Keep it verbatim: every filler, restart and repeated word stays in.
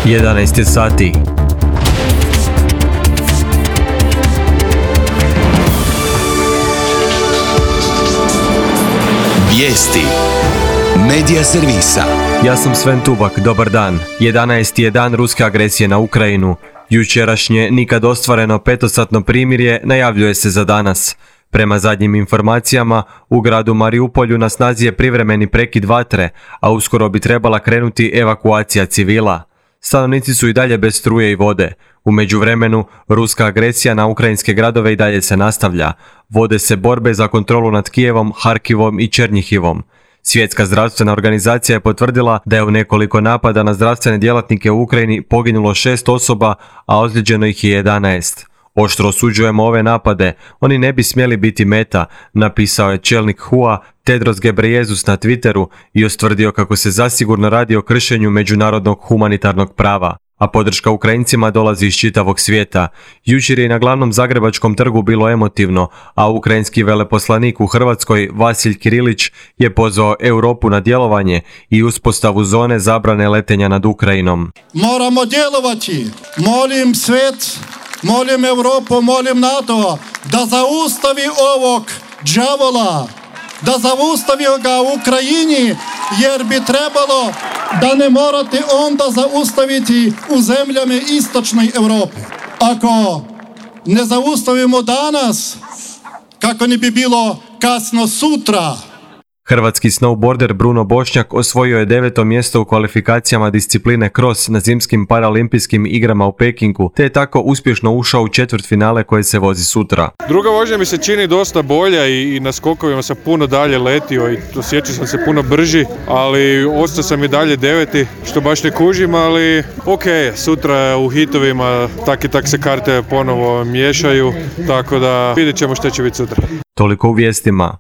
jedanaest je sati. Vijesti Medija servisa. Ja sam Sven Tubak, dobar dan. jedanaesti je dan ruske agresije na Ukrajinu. Jučerašnje nikad ostvareno petosatno primirje najavljuje se za danas. Prema zadnjim informacijama, u gradu Mariupolju na snazi je privremeni prekid vatre, a uskoro bi trebala krenuti evakuacija civila. Stanovnici su i dalje bez struje i vode. U međuvremenu, ruska agresija na ukrajinske gradove i dalje se nastavlja. Vode se borbe za kontrolu nad Kijevom, Harkivom i Černjihivom. Svjetska zdravstvena organizacija je potvrdila da je u nekoliko napada na zdravstvene djelatnike u Ukrajini poginulo šest osoba, a ozlijeđeno ih je jedanaest. Oštro osuđujemo ove napade, oni ne bi smjeli biti meta, napisao je čelnik H U A Tedros Ghebreyesus na Twitteru i ustvrdio kako se zasigurno radi o kršenju međunarodnog humanitarnog prava, a podrška Ukrajincima dolazi iz čitavog svijeta. Jučer je na glavnom zagrebačkom trgu bilo emotivno, a ukrajinski veleposlanik u Hrvatskoj Vasilj Kirilić je pozvao Europu na djelovanje i uspostavu zone zabrane letenja nad Ukrajinom. Moramo djelovati, molim svijet, molim Europu, molim NATO da zaustavi ovog đavola, da zaustavi ga u Ukrajini, jer bi trebalo da ne morate onda zaustaviti u zemljama istočnoj Europe. Ako ne zaustavimo danas, kako ne bi bilo kasno sutra. Hrvatski snowboarder Bruno Bošnjak osvojio je deveto mjesto u kvalifikacijama discipline cross na zimskim paraolimpijskim igrama u Pekingu, te je tako uspješno ušao u četvrtfinale koje se vozi sutra. Druga vožnja mi se čini dosta bolja i, i na skokovima sam puno dalje letio i osjećao sam se puno brži, ali ostao sam i dalje deveti, što baš ne kužim, ali ok, sutra u hitovima tak i tak se karte ponovo miješaju, tako da vidjet ćemo što će biti sutra. Toliko u vijestima.